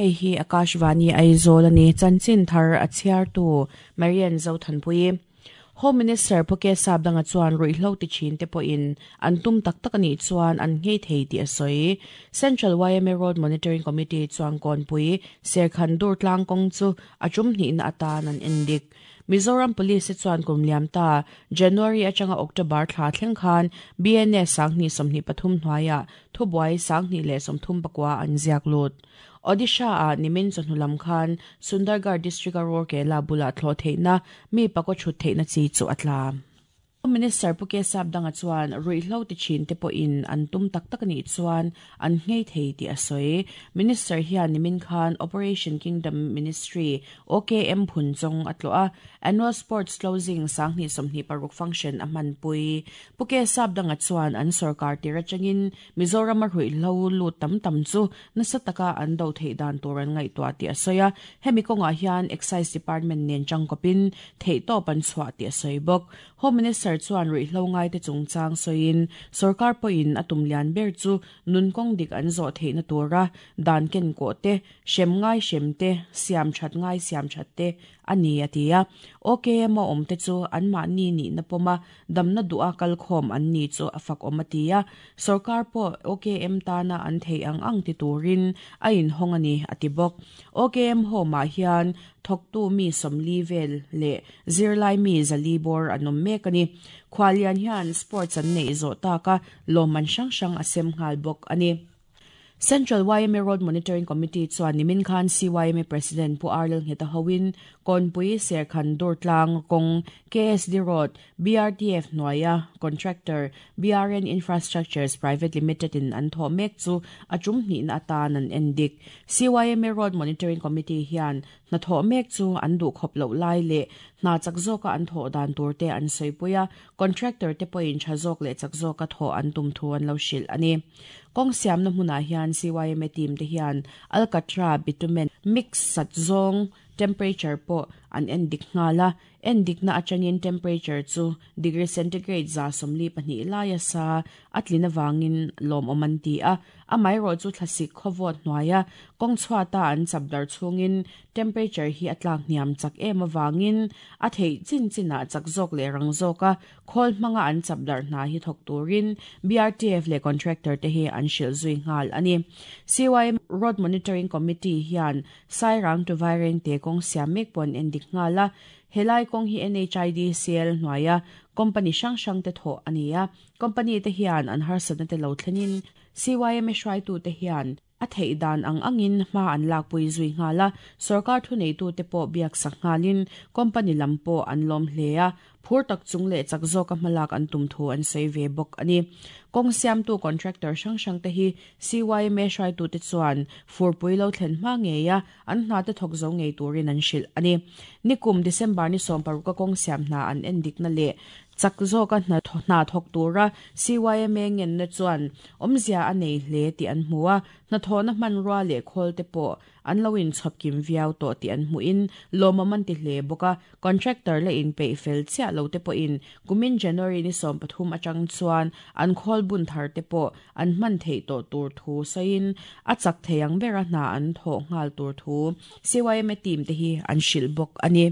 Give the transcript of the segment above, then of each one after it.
Hei hi Akashvani Aizawl a ni. Chanchin thar a chhiartu Marian Zothanpuii. Home Minister Pu K Sapdanga chuan ruihhlo ti thin te pawhin an tum tak tak a nih chuan an nghei thei tih a sawi. Central yma Road Monitoring Committee chuan Kawnpui Serkhan Durtlang kawng chu a tum hnihna atan an endik. Mizoram Police te chuan kum liam ta January atanga October thla thleng khan BNS 2023 hnuaiah thubuai 2034 an ziak lut. Odisha ah nimin chawhnu lam khan Sundargarh District a Rourkela bulah thlawh theihna mi pakaw chhut theihna chi chu a tla. Home Minister Pu K Sapdanga chuan ruihhlo ti thin te pawhin an tum tak tak a nih chuan an nghei thei tih a sawi. Minister hian nimin khan Operation Kingdom Ministry, OKM, phun chawng a tlawh a, Annual Sports Closing 2026 function a hmanpui. Pu K Sapdanga chuan an sorkar tir atangin Mizorama ruihhlo lut tam tam chu nasa taka an do theih dan tur an ngaihtuah tih a sawi a, hemi kawngah hian Excise Department nen tangkawpin theihtawp an chhuah tih a sawi bawk. Home Minister chuan ruihhlo ngaite chungchang sawiin sorkar pawhin a tum lian ber chu nun kawng dik an zawh theihna tura dan ken kawh te, hrem ngai hrem te, siam that ngai siam that te a ni a ti a. OKM a awmte chu anmahni nihna pawma damna duha kalkhawm an ni chu a fak awm a ti a. Sorkar pawh OKM tana an theih ang ang ti turin a inhawng a ni a ti bawk. OKM home-ah hian thawktu mi 40 vel leh zirlai mi 400 bawr an awm mek a ni. Khualian hian sports an neih zawh taka lawmman hrang hrang a sem nghal bawk a ni. Central yma Road Monitoring Committee chuan nimin khan CYMA President Pu Arlel Ngheta hoin Kawnpui Serkhan Durtlang kawng KSD Road BRTF hnuaia contractor BRN Infrastructures Private Limited in an thawh mek chu a tum hnihna atan an en dik. CYMA Road Monitoring Committee hian hna thawh mek chu an duh khawp loh lai leh hna chak zawka an thawh dan tur te an sawipui a, contractor te pawhin tha zawk leh chak zawka thawh an tum thu an lo hrilh a ni. Kawng siamna hmunah hian CYMA team te hian alkatra bitumen mix sat zawng temperature pawh an en dik nghal a, en dikna atangin temperature chu degree centigrade 142 laia sa a tlin avangin lawmawm an ti a, amaherawh chu thlasik khawvawt hnuaia kawng chhuata an chap dar chhungin temperature hi a tlak hniam chak em avangin a theih chin chinah chak zawk leh rang zawka khawl hmanga an chap dar hna hi thawk turin BRTF leh contractor te hi an hrilh zui nghal a ni. CYMA Road Monitoring Committee hian Sairang to Vairengte kawng siam mek pawh an en dik nghal a, helai kawng hi NHIDCL hnuaia company hrang hrang te thawh a ni a, company te hian an harsatna te lo thlenin CYMA hruaitute hian a theih dan ang angin hma an lakpui zui nghal a, sorkar thuneitute pawh biaksak nghalin company lam pawh an lawm hle a, phur tak chung leh chak zawka hmalak an tum thu an sawi ve bawk a ni. Kawng siamtu contractor hrang hrang te hi CYMA hruaitute chuan furpui lo thlen hma ngei a, an hna te thawk zo ngei turin an hrilh a ni. Nikum December ni 16 a kawng siam hna an en dikna leh chak zawka hna thawk tura CYMA ngenna chuan awmzia a nei hle tih an hmu a, hnathawhna hmanrua leh khawl te pawh an lo inchhawp kim viau tawh tih an hmuhin lawmawm an ti hle bawk a, contractor la inpeih fel chiah lo te pawhin kumin January ni 13 atang chuan an khawl bun thar te pawh an hman theih tawh tur thu sawiin a chak thei ang bera hna an thawh nghal tur thu CYMA team te hi an hrilh bawk a ni.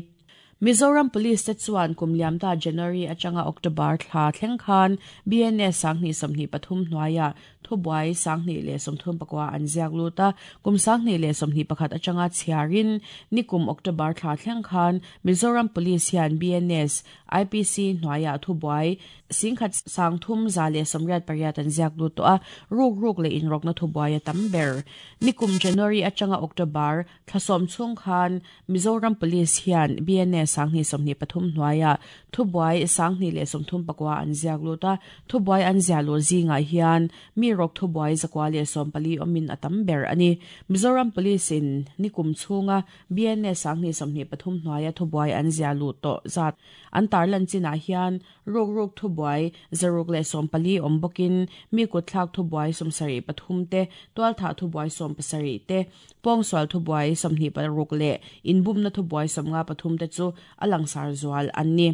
Mizoram Police te chuan kum liamta January atanga October thla thleng khan BNS 2023 hnuaiah thubuai 2039 an ziak lut a, kum 2021 atanga chhiarin nikum October thla thleng khan Mizoram Police hian BNS IPC hnuaiah thubuai 1388 an ziak lut tawh a, ruk ruk leh inrawkna thubuai a tam ber. Nikum January atanga October thla sawm chhung khan Mizoram Police hian BNS 2023 hnuaiah thubuai 2039 an ziak lut a, thubuai an ziah luh zingah hian mi rawk thubuai 114 awmin a tam ber a ni. Mizoram Police in nikum chhunga BNS 2023 hnuaia thubuai an ziah luh tawh zat an tarlan chinah hian ruk ruk thubuai 114 awm bawkin mi kutthlak thubuai 73 te, tualthah thubuai 17 te, pawngsual thubuai 26 leh inbumna thubuai 53 te chu a langsar zual an ni.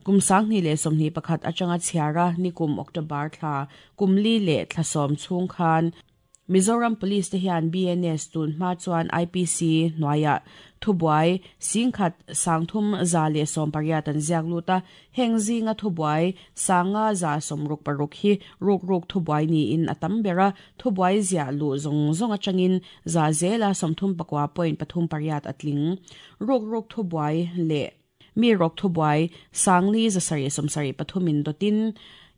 Kum 2021 atanga chhiara nikum October thla kum li leh thla sawm chhung khan Mizoram Police te hian BNS tun hma chuan IPC hnuaiah thubuai 10,000 318 an ziak lut a, heng zinga thubuai 5,166 hi rukruk thubuai niin a tam ber a, thubuai ziah luh zawng zawng atangin za zela 39.38 a tling. Rukruk thubuai leh Mi rawk thubuai 4,773 in dawtin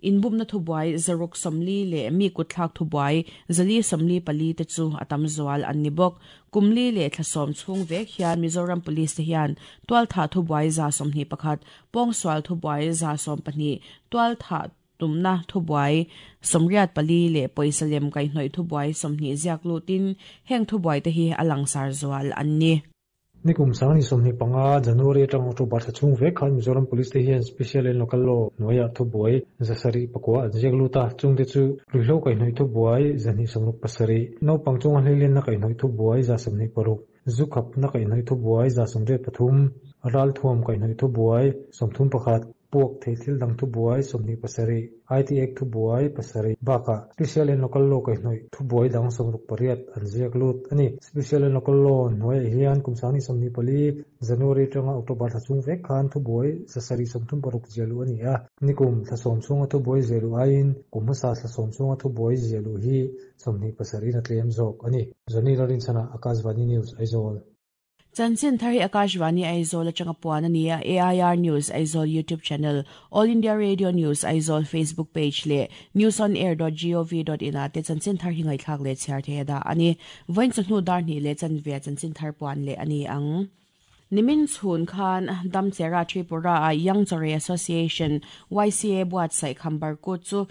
inbumna thubuai 640 leh mi kutthlak thubuai 444 te chu a tam zual an ni bawk. Kum li leh thla sawm chhung vek hian Mizoram Police te hian tualthah thubuai 121, pawngsual thubuai 12, tualthah tumna thubuai 84 leh pawisa lem kaihhnawih thubuai 20 ziak lutin heng thubuai te hi a langsar zual an ni. Nikum 2025 January atang October thla chhung vek khan Mizoram Police te hian Special and Local Law hnuaiah thubuai 709 an ziak lut a, chungte chu ruihhlo kaihhnawih thubuai 267, naupang chunga hleilenna kaihhnawih thubuai 126, zu khapna kaihhnawih thubuai 83, ralthuam kaihhnawih thubuai 31, Puak thei thil dang thubuai 27, IT Act thubuai pasarih bakah Special and Local Law kaihhnawih thubuai dang 68 an ziak lut a ni. Special and Local Law hnuaiah hian kum 2024 January atanga October thla chhung vek khan thubuai 736 ziah luh a ni a. Nikum thla sawm chhunga thubuai ziah luh aiin kum hmasa thla sawm chhunga thubuai ziah luh hi 27 in a tlem zawk a ni. Johnny Lalrinchhana, Akashvani News, Aizawl. Chanchin thar hi Akashvani Aizawl atanga puan a ni a, AIR News Aizawl YouTube channel, All India Radio News Aizawl Facebook page leh newsonair.gov.in ah te chanchin thar hi ngaihthlak leh chhiar thei a dah a ni. Vawiin chawhnu dar hnih leh chanve ah chanchin thar puan leh a ni ang. Nimin chhun khan Damchera Tripura ah Young Chorei Association, YCA, buatsaih Khambarkut chu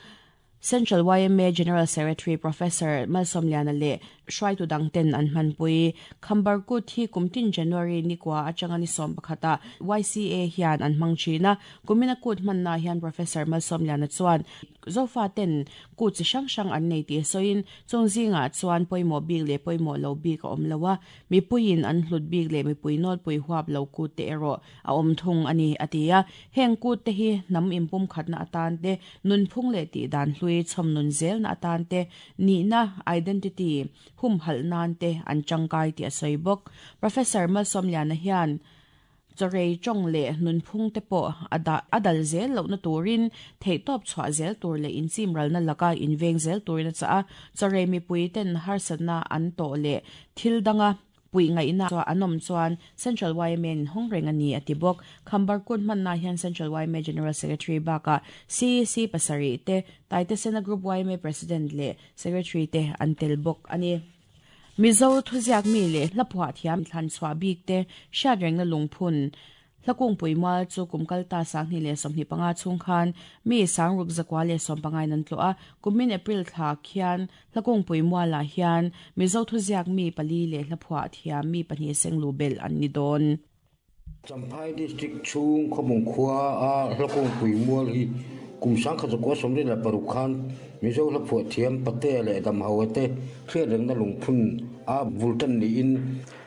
Central yma General Secretary Professor Malsawmliana leh hruaitu dang ten an hmanpui. Khambar Kut hi kum tin January ni kua atanga ni 11 ah YCA hian an hmang thin a. Kumina kut hmanna hian Professor Malsawmliana chuan Zofa ten kut chi hrang hrang an nei tih sawiin chung zingah chuan pawimawh bik leh pawimawh lo bik a awm lo a, mipuiin an hlut bik leh mipui nawlpui huap lo kut te erawh a awm thung a ni, a ti a. Heng kut te hi hnam inpumkhatna atan te, nunphung leh tihdan hlui chhawm nun zelna atan te, nihna, identity, humhalh nan te an tangkai tih a sawi bawk. Professor Malsawmliana hian chawrei tawng leh nunphung te pawh a dah a dal zel lohna turin theihtawp chhuah zel tur leh inchimralna laka inveng zel turin a chah a, chawrei mipui ten harsatna an tawh leh thil danga Puih ngaihna an awm chuan Central yma in hawng reng a ni, a ti bawk. Khambar kut hmanna hian Central yma General Secretary bakah CEC pasarih te, Taitesena Group yma President leh Secretary te an tel bawk a ni. Mizo thuziak mi leh hlaphuah thiam thlan chhuah bik te hriatrengna lungphun Hlakungpui mual chu kum kalta 2025 chhung khan mi 6115 in an tlawh a, kumin April thla khian Hlakungpui mualah hian Mizo thuziak mi pali leh hlaphuah thiam mi pahnih senglu belh an ni dawn. Champhai District chhung Khawbung khua a Hlakungpui mual hi kum 1976 khan Mizo hlaphuah thiam Patea leh Damhaua te hriatrengna lungphun a bul tan niin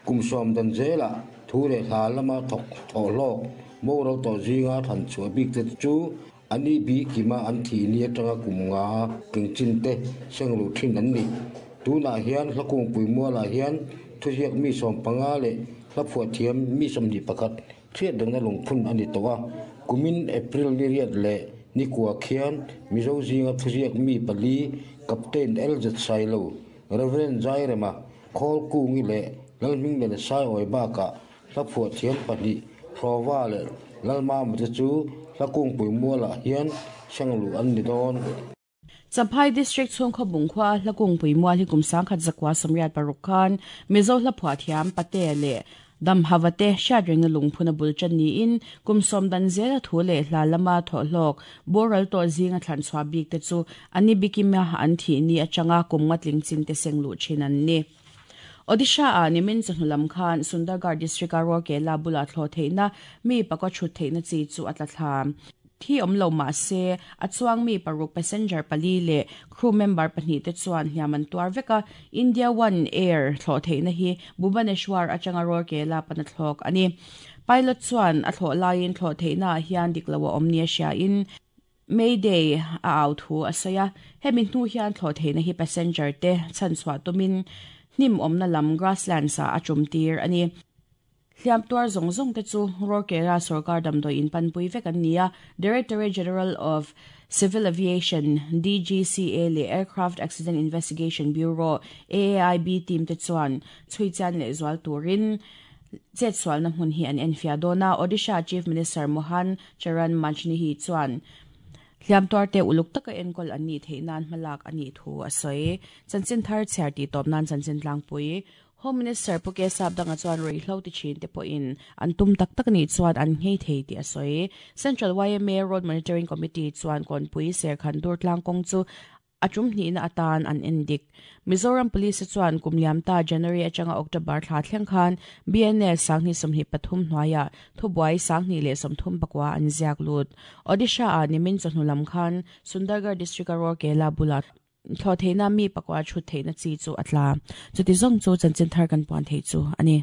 kum sawm dan zelah Thu leh hla lama thawk thawh hlawk boral tawh zinga thlan chhuah bik te chu a ni bi kima an thih ni atanga kum nga tling chin te seng luh thin an ni. Tunah hian Hlakungpui mualah hian thuziak mi 15 leh hlaphuah thiam mi 21 hriat rengna lungphun a ni tawh a. Kumin April ni riat leh ni kua khian Mizo zinga thuziak mi pali Captain LZ Sailo, Rev. Zairema, Khawlkungi leh Lalhmingmela Saiawi bakah hlaphuah thiam pahnih Hlawva leh Lalmama te chu Hlakungpui mualah hian sengluh an ni dawn. Champhai District chhung Khawbung khua Hlakungpui mual hi kum 1986 khan Mizo hlaphuah thiam Patea leh Damhava te hriatrengna lungphun a bul tan niin kum sawm dan zela thu leh hla lama thawhhlawk boral tawh zinga thlan chhuah bik te chu an ni bikima an thih ni atanga kum nga tling chin te seng luh thin an ni. Odisha ah nimin chawhnu lam khan Sundargarh district a Rourkela bulah thlawh theihna mi pakua thut theihna chi chu a tla thla. Thi awm lo mah se, a chuang mi paruk passenger pali leh crew member pahnih te chuan hliam an tuar vek a, India One Air thlawh theihna hi Bhubaneswar atanga Rourkela pana thlawk a ni. Pilot chuan a thlawh laiin thlawh theihna ah hian dik lo a awm nia hriain, Mayday a au thu a sawi a, hemi hnu hian thlawh theihna hi passenger te chhanchhuah tumin hnim awmna lam grasslands ah a tum tir a ni. Hliam tuar zawng zawng te chu Rourkela sawrkar damdawi in panpui vek an ni a, Directorate General of Civil Aviation, DGCA, leh Aircraft Accident Investigation Bureau, AAIB, team te chuan chhui chian leh zual turin chetsualna hmun hi an enfiah dawn a, Odisha Chief Minister Mohan Charan Majnihi chuan hliam tuarte uluk taka enkawl an nih theih nan hmalak a nih thu a sawi. Chanchin thar chhiar tih tawp nan chanchin tlangpui Home Minister Pu K Sapdanga chuan ruihhlo ti thin te pawhin an tum tak tak nih chuan an nghei thei tih a sawi. Central yma Road Monitoring Committee chuan Kawnpui Serkhan Durtlang kawng chu A tum hnihna atan an en dik. Mizoram Police chuan kum liam ta January atanga October thla thleng khan BNS 2023 hnuaiah thubuai 2034 an ziak lut. Odisha ah nimin chawhnu lam khan Sundargarh District a Rourkela bulah thlawh theihna mi pakua chhut theihna chi chu a tla. Chuti zawng chu chanchin thar kan puan thei chu a ni.